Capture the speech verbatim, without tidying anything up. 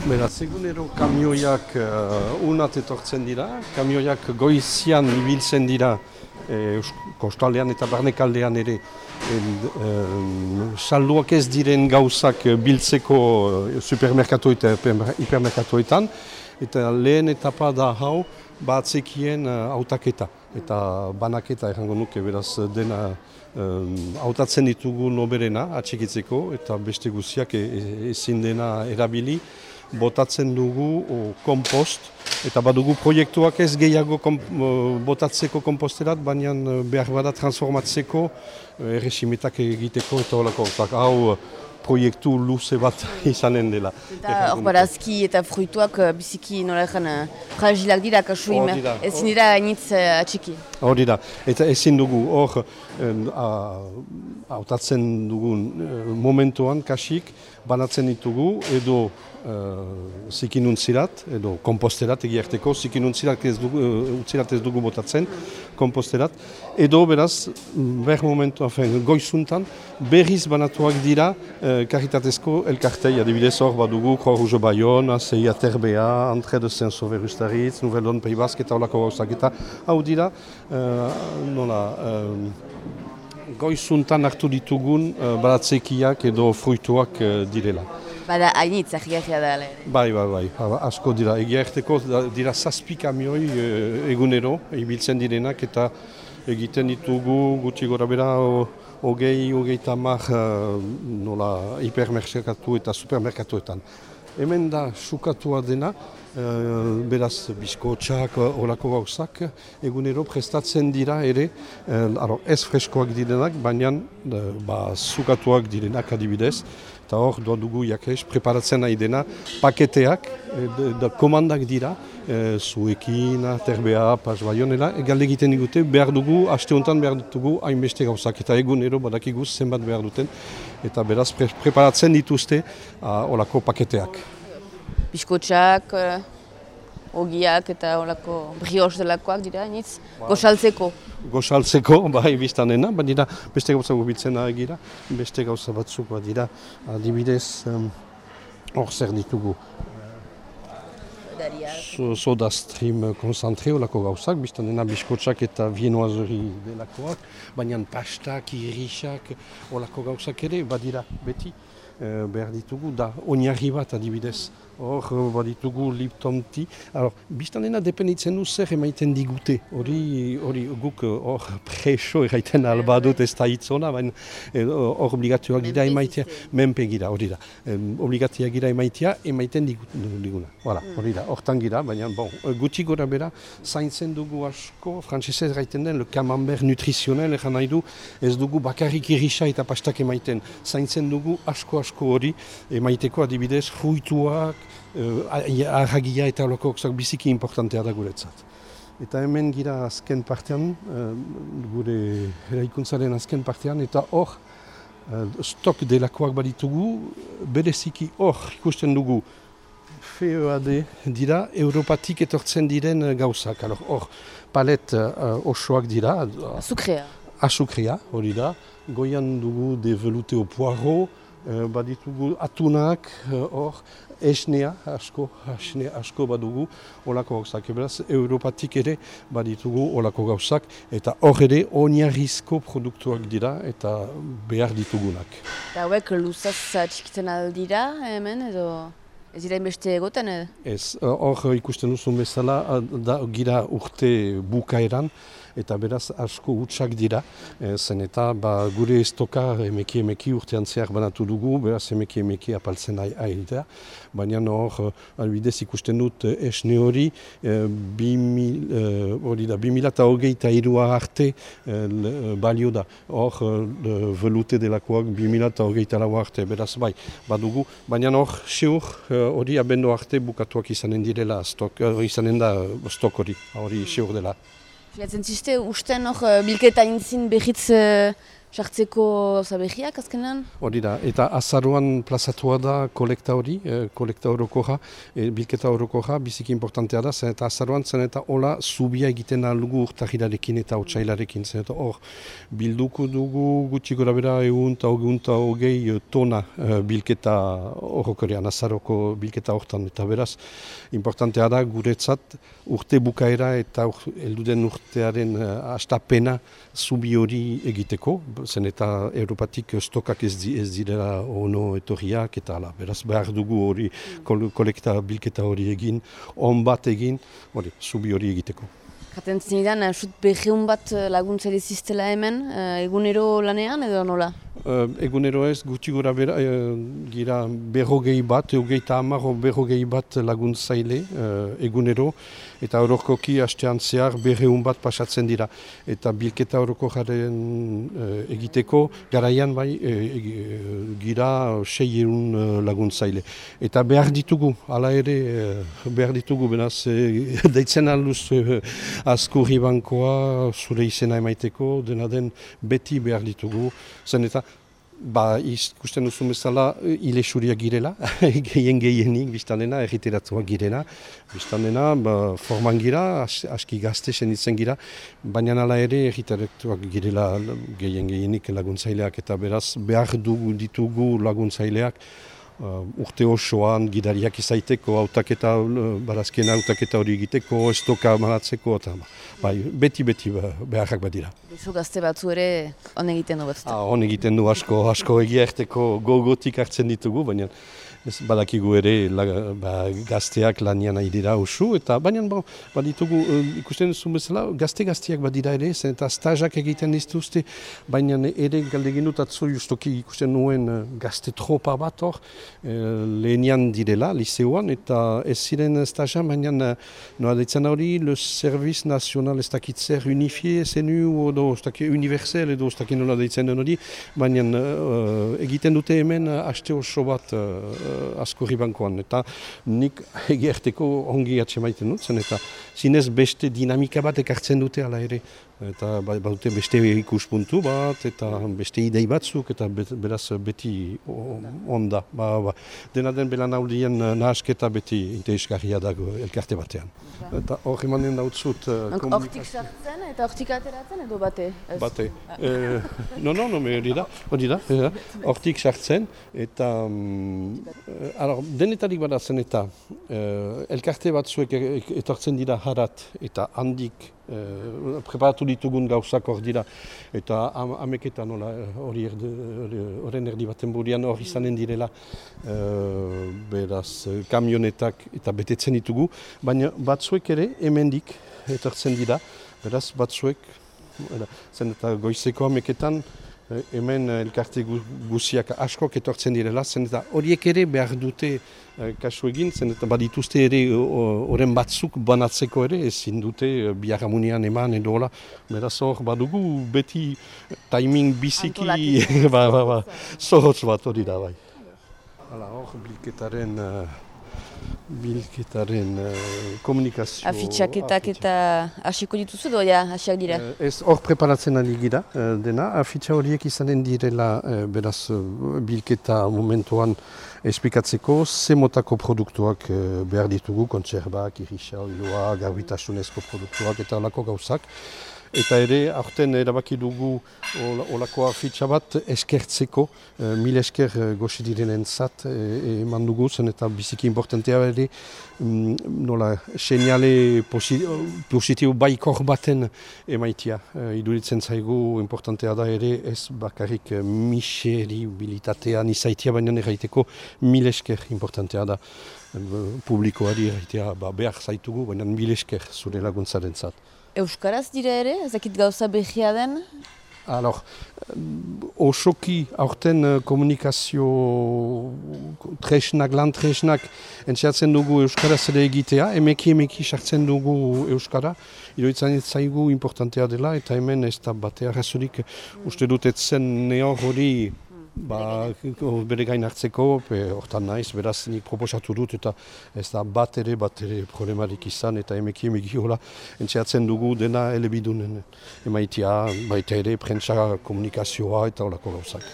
Beraz, egunero kamioiak uh, unat etortzen dira, kamioiak goizian ibiltzen dira e, kostaldean eta barnekaldean ere en, um, salduak ez diren gauzak biltzeko supermerkatu eta hipermerkatuetan, eta lehen etapa da hau batzekien uh, autaketa eta banaketa errango nuke, beraz dena um, hautatzen ditugu noberena atxikitzeko eta beste guziak e, e, ezin dena erabili. Botatzen dugu o, kompost, eta badugu proiektuak ez gehiago kom, botatzeko komposterat, baina behar bada transformatzeko, erresimetak egiteko eta holako. Hau proiektu luze bat izanen dela. Eta hor barazki eta fruituak biziki nola ezan fragilak dira, kasuim, ezin dira hainitz atxiki. Hori da, eta ezin dugu hor hautatzen dugun momentuan kasik banatzen ditugu edo uh, zikinuntzirat, edo komposterat egiarteko, zikinuntzirat ez dugu, uh, utzirat ez dugu botatzen, komposterat, edo beraz, ber momentu, afen, goizuntan, berriz banatuak dira uh, karitatezko elkartei, adibidez hor badugu, Croix Rouge Bayonne, C I A Terbea, Entrée de Saint-Sauveur Ustaritz, Nouvelle Donne Pays Basque eta holako gauzak eta hau dira, uh, nola, uh, goizuntan hartu ditugun uh, baratzekiak edo fruituak uh, direla. Bada hainitz, ahiagia da. Bai, bai, bai, asko dira. Egia erteko dira zazpi kamioi uh, egunero, ibiltzen direnak eta egiten ditugu gutxi gora bera hogei, hogei tamar uh, nola hipermerkatu eta supermerkatuetan. Hemen da sukatua dena, uh, beraz bizkotxak, olako gauzak, egunero prestatzen dira ere, uh, ez freskoak direnak, baina uh, ba, sukatuak direnak adibidez, eta hor doa dugu jakez, preparatzen nahi dena, paketeak, da komandak dira, uh, zuekin, terbea, pas baionela, galde egiten digute, behar dugu, aste honetan behar dugu hainbeste gauzak, eta egunero badakiguz zenbat behar duten, eta beraz pre preparatzen dituzte uh, olako paketeak. Biskotxak, ogiak eta olako brioche delakoak dira, nitz, goxaltzeko. Goxaltzeko, bai, biztanena, bat dira, beste gauza gubitzena egira, beste gauza batzuk bat dira, adibidez, hor um, zer ditugu. Soda stream konzentre olako gauzak, biztanena biskotxak eta viennoiserie delakoak, baina pastak, irixak, olako gauzak ere, badira beti. Uh, behar ditugu, da oinarri bat adibidez, hor baditugu Lipton Tea. Alors, biztanena dependitzen du zer emaiten digute, hori hori guk hor preso erraiten alba dut ez da hitzona, baina hor obligatuak gira emaitea, menpe gira, hori da. Um, obligatuak gira emaitea, emaiten diguna. Voilà, hori da, hortan gira, baina bon, gutxi gora bera, zaintzen dugu asko, frantzesez erraiten den, le camembert nutrizionel eran nahi du, ez dugu bakarrik irisa eta pastak emaiten, zaintzen dugu asko asko hori emaiteko adibidez fruituak, uh, arragia eta holokoak biziki importantea da guretzat. Eta hemen gira azken partean, uh, gure eraikuntzaren azken partean, eta hor uh, stok delakoak baditugu, bereziki hor ikusten dugu F E A D dira, Europatik etortzen diren gauzak. Hor palet uh, osoak dira. Azukrea. Azukrea, hori da. Goian dugu de velouté au poireau, Uh, baditugu atunak, hor, uh, esnea, asko, esnea, asko badugu, olako gauzak. Beraz, Europatik ere baditugu olako gauzak, eta hor ere oinarrizko produktuak dira eta behar ditugunak. Eta hauek luzaz txikitzen aldira hemen, edo ez dira inbeste egoten? Ez, hor uh, ikusten duzun bezala, da gira urte bukaeran, eta beraz asko hutsak dira, e, zen eta ba, gure estoka emeki emeki urtean zehar banatu dugu, beraz emeki emeki apaltzen ari da, baina hor, albidez ikusten dut esne hori, e, hori da, bi mila eta hogeita hirua arte e, balio da, hor velute delakoak bi mila eta hogeita lau arte, beraz bai, badugu, baina hor, seur, hori abendo arte bukatuak izanen direla, stok, izanen da stok hori, hori seur dela. Fiatzen ziste, usten hor bilketa intzin behitz sartzeko zabegiak azkenan? Hori da, eta azaruan plazatua da kolekta hori, eh, kolekta orokoja, eh, bilketa orokoja, biziki importantea da, zen eta azaruan zen eta hola zubia egiten aldugu urtahirarekin eta otsailarekin, zen eta hor bilduko dugu gutxi gora bera egun eta egun eta hogei tona eh, bilketa orokorean, azaroko bilketa hortan, eta beraz, importantea da guretzat urte bukaera eta ur, elduden urtearen uh, astapena zubi hori egiteko, zen eta Europatik stokak ez, di, ez direla ono etorriak eta ala, beraz behar dugu hori kol, kolekta bilketa hori egin, on bat egin, hori, zubi hori egiteko. Jaten zinidan, sut beheun bat laguntzaile ziztela hemen, egunero lanean edo nola? Uh, egunero ez, gutxi gora bera, uh, gira berrogei bat, eugeita hamar berrogei bat laguntzaile uh, egunero, eta orokoki hastean zehar berreun bat pasatzen dira. Eta bilketa oroko jaren uh, egiteko, garaian bai, uh, gira seieun uh, laguntzaile. Eta behar ditugu, hala ere, uh, behar ditugu, benaz, uh, deitzen alduz uh, Azkurri bankoa zure izena emaiteko, dena den beti behar ditugu, zen eta ba, ikusten duzu bezala, hile suriak girela, gehien gehienik, biztan dena, erriteratuak girela, biztan dena, ba, forman gira, as, aski gazte senditzen gira, baina nala ere erriteratuak girela gehien gehienik laguntzaileak, eta beraz behar dugu ditugu laguntzaileak, Uh, urte osoan gidariak izaiteko, hautaketa, uh, barazkien hautaketa hori egiteko, estoka manatzeko, eta bai, beti-beti beharrak badira. Beso gazte batzu ere on egiten du batzuta? Ah, on egiten du asko, asko egia erteko gogotik hartzen ditugu, baina ez badakigu ere la, ba, gazteak lanian nahi dira usu, eta baina bon, baditugu, uh, ikusten duzu bezala, gazte-gazteak badira ere, zen eta stajak egiten dituzte, baina ere galdegin dut atzo justoki ikusten nuen uh, gazte tropa bat hor, lehenian direla, liceoan, eta ez ziren stajan, baina noa deitzen hori, le Service National ez dakit zer unifie, zenu, edo ez dakit universel, edo ez dakit nola deitzen den hori, baina uh, egiten dute hemen haste oso bat uh, Azkurri bankoan, eta nik egerteko ongi atxemaiten dut zen, eta zinez beste dinamika bat ekartzen dute ala ere. Eta badute beste ikuspuntu bat, eta beste idei batzuk, eta beraz beti onda. Ba, ba. Dena den belanaudien nahasketa beti interesgarria dago elkarte batean. Eta hor emanen dautzut... Hortik sartzen eta hortik ateratzen edo bate? Bate. No, no, no, hori da, hori da, hortik sartzen, eta... Denetarik badatzen eta elkarte batzuek etortzen dira harat, eta handik Uh, preparatu ditugun gauzak hor dira, eta am, ameketan hori horren erdi baten burian hor izanen direla uh, beraz kamionetak eta betetzen ditugu, baina batzuek ere hemendik etortzen dira, beraz batzuek, zen eta goizeko ameketan hemen elkarte guziak askok etortzen direla, zen eta horiek ere behar dute kasu egin, zen eta badituzte ere horren batzuk banatzeko ere, ezin dute biharramunian eman edo hola, beraz hor badugu beti timing biziki, ba, ba, ba, zorotz bat hori da bai. Hala hor bilketaren... bilketaren uh, komunikazio... Afitxaketak eta hasiko dituzu edo ja, hasiak dira? Uh, ez hor preparatzen ari gira uh, dena, afitxa horiek izanen direla uh, beraz uh, bilketa momentuan esplikatzeko ze motako produktuak uh, behar ditugu, kontserbak, irisa, oiloa, garbitasunezko produktuak eta holako gauzak. Eta ere, aurten erabaki dugu olako afitxa bat eskertzeko, e, mil esker goxe direnen zat eman dugu zen eta biziki importantea ere, mm, nola, seinale positibo baikor baten emaitia. E, iduritzen zaigu importantea da ere, ez bakarrik miseribilitatean izaitia, baina erraiteko mil esker importantea da. Publikoari erraitea ba, behar zaitugu, baina mil esker zure laguntzaren zat. Euskaraz dira ere, ezakit gauza behia den? Alors, osoki aurten komunikazio tresnak, lan tresnak entxeatzen dugu Euskaraz ere egitea, emeki emeki sartzen dugu Euskara, iruditzen zaigu importantea dela, eta hemen ez da batea razorik uste dut etzen nehor hori Ba, bere gain hartzeko, hortan naiz, beraz nik proposatu dut eta ez da bat ere, bat ere problemarik izan eta emeki emeki hola entxeatzen dugu dena elebidunen emaitia, baita ere prentsa komunikazioa eta horako gauzak.